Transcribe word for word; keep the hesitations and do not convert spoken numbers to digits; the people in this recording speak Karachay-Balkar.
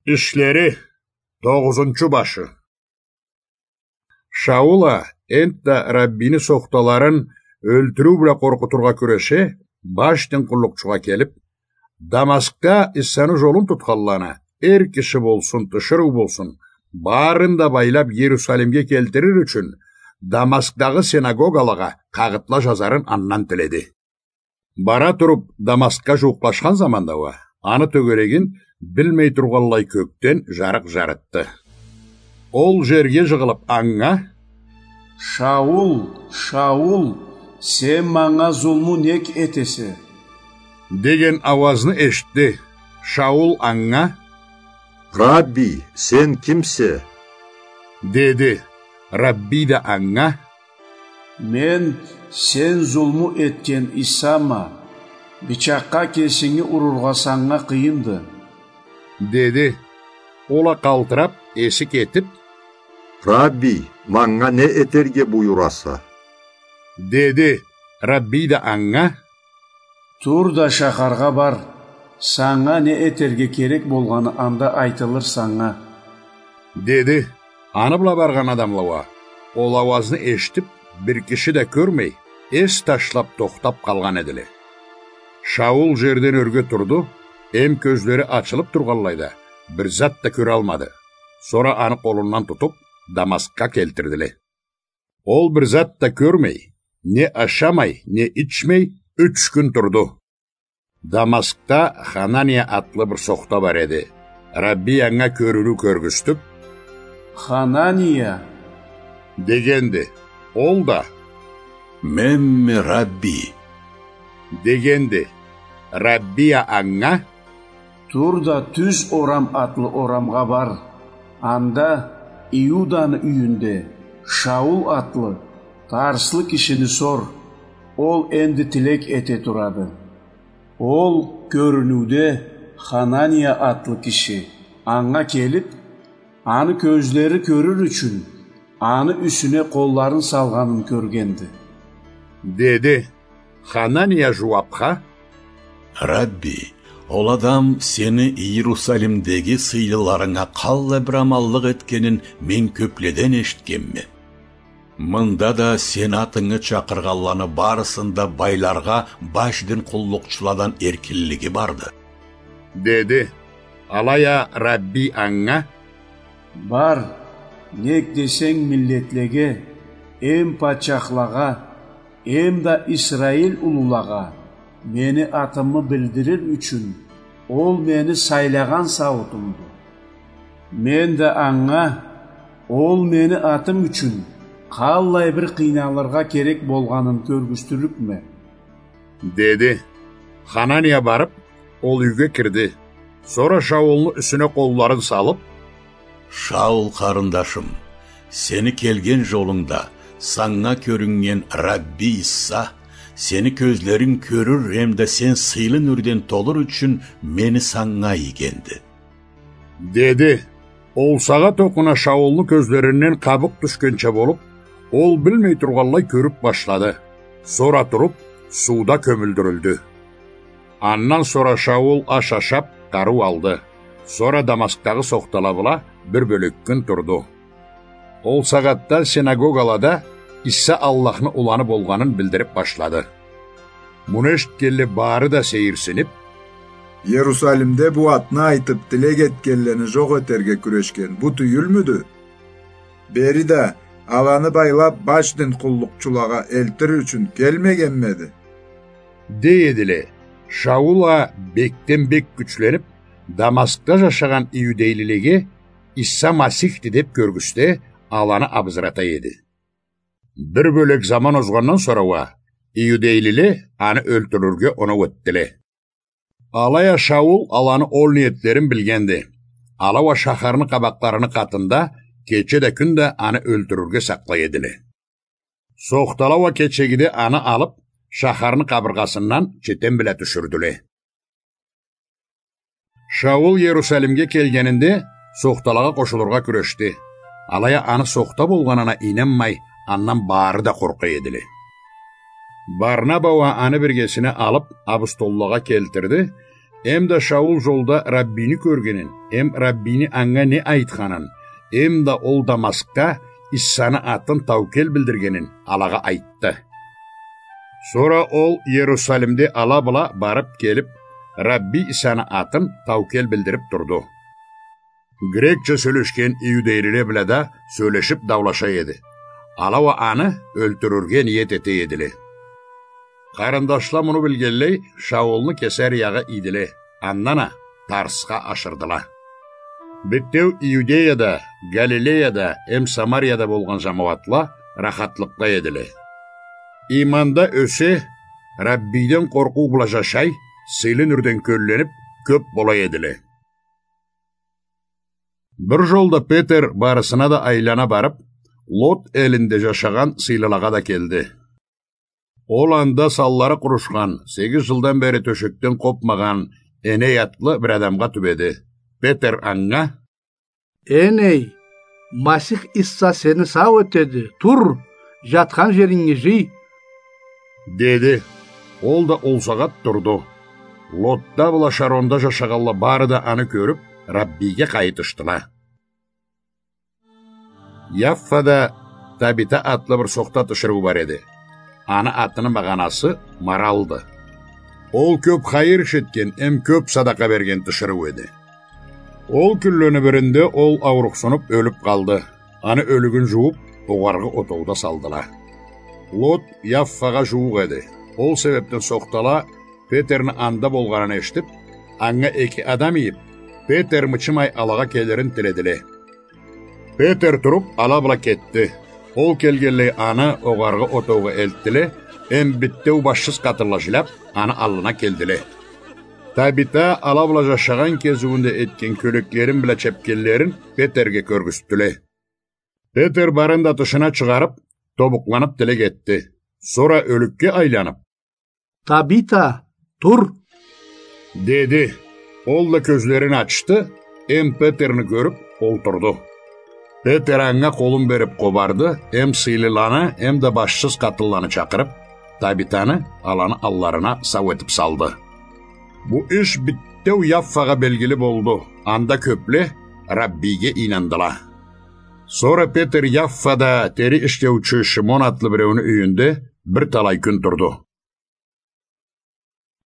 Ишлери, тогъузунчу башы. Шаул а энтда Раббини сохталарын ёлтюрюу бла къоркъутургъа кюреше, баш дин къуллукъчугъа келип: «Дамаскда Иссаны жолун тутханланы, эр киши болсун, тиширыу болсун, барын да байлап Иерусалимге келтирир ючюн, Дамаскдагъы синагогалагъа къагъытла жазарын андан тиледи». Бара туруп, Дамаскга жууукълашхан заманда уа, аны тёгерегин билмей тургъанлай кёкден жарыкъ жарытды. Ол жерге жыгъылып, анга: «Шаул, Шаул, сен манга зулму нек этесе?» — деген ауазны эшитди. Шаул анга: «Рабби, сен кимсе?» — деди. Рабби да анга: «Мен сен зулму этген Иссама, бичакъгъа кесинги урургъа санга къыйынды», — деди. Ол а къалтырап, эси кетип: «Рабби, манга не этерге буюраса?» — деди. Рабби да анга: «Тур да шахаргъа бар, санга не этерге керек болгъаны анда айтылыр санга», — деди. Аны бла баргъан адамла уа, ол ауазны эшитип, бир киши да кёрмей, эс ташлап тохтап къалгъан эдиле. Шаул жерден ёрге турду, эм кёзлери ачылып тургъанлай да, бир зат да кёралмады. Сора аны къолундан тутуп, Дамаскга келтирдиле. Ол бир зат да кёрмей, не ашамай, не ичмей, юч кюн турду. Дамаскда Ханания атлы бир сохта бар эди. Рабби анга кёрюню кёргюзтюп: «Ханания!» — дегенди. Ол да: «Менме, Рабби!» — дегенди. Рабби а анга: «Тур да Тюз орам атлы орамгъа бар. Анда Иуданы юйюнде Шаул атлы тарслы кишини сор. Ол энди тилек эте турады». Ол кёрюнюуде Ханания атлы киши анга келип, аны кёзлери кёрюр ючюн, аны юсюне къолларын салгъанын кёргенди, — деди. Ханания жууапха: «Рабби, ол адам сени Иерусалимдеги сыйлыларынга къаллай бир аманлыкъ этгенин мен кёпледен эшитгенме. Мында да сени атынгы чакъыргъанланы барысында байларгъа баш дин къуллукъчуладан эркинлиги барды», — деди. Алай а Рабби анга: «Бар, нек десенг миллетлеге, эм патчахлагъа, эм да Исраил улулагъа мени атымы билдирир ючюн, ол мени сайлагъан сауутумду. Мен да анга ол мени атым ючюн къаллай бир къыйналыргъа керек болгъанын кёргюзтюрлюкме», — деди. Ханания барып, ол юйге кирди. Сора Шаулну юсюне къолларын салып: «Шаул къарындашым, сени келген жолунгда санга кёрюннген Рабби Иса сени кёзлеринг кёрюр эмда сен сыйлы нюрден толур ючюн мени санга ийгенди», — деди. Ол сагъат окъуна Шаулну кёзлеринден къабукъ тюшгенча болуп, ол билмей тургъанлай кёрюп башлады. Сора туруп, сууда кёмюлдюрюлдю. Андан сора Шаул аш ашап, къарыу алды. Сора Дамаскдагъы сохтала бла бир бёлек кюн турду. Ол сагъатда синагогалада Иса Аллахны уланы болгъанын билдирип башлады. Муну эшитгенле бары да сейирсинип: «Иерусалимде бу атны айтып, тилек этгенлени жокъ этерге кюрешген бу тюйюлмюдю? Бери да аланы байлап, баш дин къуллукъчулагъа элтир ючюн келмегенмеди?» — дей эдиле. Шаул а бекден бек гючленип, Дамаскда жашагъан иудейлилеге Иса Масихди деп кёргюзте, аланы абызырата эди. Бир бёлек заман озгъандан сора уа иудейлиле аны ёлтюрюрге оноу этдиле. Алай а Шаул аланы ол ниетлерин билгенди. Ала уа шахарны къабакъларыны къатында кече да, кюн да аны ёлтюрюрге сакълай эдиле. Сохтала уа кечегиде аны алып, шахарны къабыргъасындан четен бла тюшюрдюле. Шаул Иерусалимге келгенинде, сохталагъа къошулургъа кюрешди. Алай а аны сохта болгъанына ийнанмай, андан бары да къоркъа эдиле. Барнаба уа аны биргесине алып, абустоллагъа келтирди, Эм да Шаул жолда Раббини кёргенин, эм Раббини анга не айтханын, эм да ол Дамаскда Иссаны атын таукел билдиргенин алагъа айтды. Сора ол Иерусалимде ала бла барып келип, Рабби Иссаны атын таукел билдирип турду. Грекча сёлешген иудейлиле бла да сёлешип даулаша эди. Ала уа аны ёлтюрюрге ниет эте эдиле. Къарындашла муну билгенлей, Шаулну Кесариягъа ийдиле, андан а Тарсха ашырдыла. Битеу Иудеяда, Галилеяда эм Самарияда болгъан жамауатла рахатлыкъда эдиле. Иманда ёсе, Раббиден къоркъуу бла жашай, сыйлы нюрден кёлленип, кёп бола эдиле. Бир жолда Петер барысына да айлана барып, Лот элинде жашагъан сыйлылагъа да келди. Ол анда санлары къурушхан, сегиз жылдан бери тёшекден къопмагъан Эней атлы бир адамгъа тюбеди. Петер анга: «Эней, Масих Исса сени сау этеди, тур, жатхан жеринги жый», — деди. Ол да ол сагъат турду. Лотда бла Шаронда жашагъанла бары да аны кёрюп, Раббиге къайытышдыла. Яффада Табита атлы бир сохта тиширыу бар эди. Аны атыны магъанасы «Маралды». Ол кёп хайыр иш этген эм кёп садакъа берген тиширыу эди. Ол кюнлени биринде ол аурухсунуп ёлюп къалды. Аны ёлюгюн жууп, огъаргъы отоуда салдыла. Лот Яффагъа жууукъ эди. Ол себепден сохтала Петерни анда болгъанын эшитип, анга эки адам ийип, Петер мычымай алагъа келирин тиледиле. Петер туруп, ала бла кетди. Ол келгенлей, аны огъаргъы отоугъа элтдиле, эм битеу башсыз къатынла жиляп, аны аллына келдиле. Табита ала бла жашагъан кезиуюнде этген кёлеклерин бла чепкенлерин Петерге кёргюзтдюле. Петер барын да тышына чыгъарып, тобукъланып тилек этди. Сора ёлюкге айланып: «Табита, тур!» — деди. Ол да кёзлерин ачды, эм Петерни кёрюп, олтурду. Петер анга къолун берип къобарды, эм сыйлыланы, эм да башсыз къатынланы чакъырып, Табитаны аланы алларына сау этип салды. Бу иш битеу Яффагъа белгили болду, анда кёпле Раббиге ийнандыла. Сора Петер Яффада тери ишлеучю Шимон атлы биреуню юйюнде бир талай кюн турду.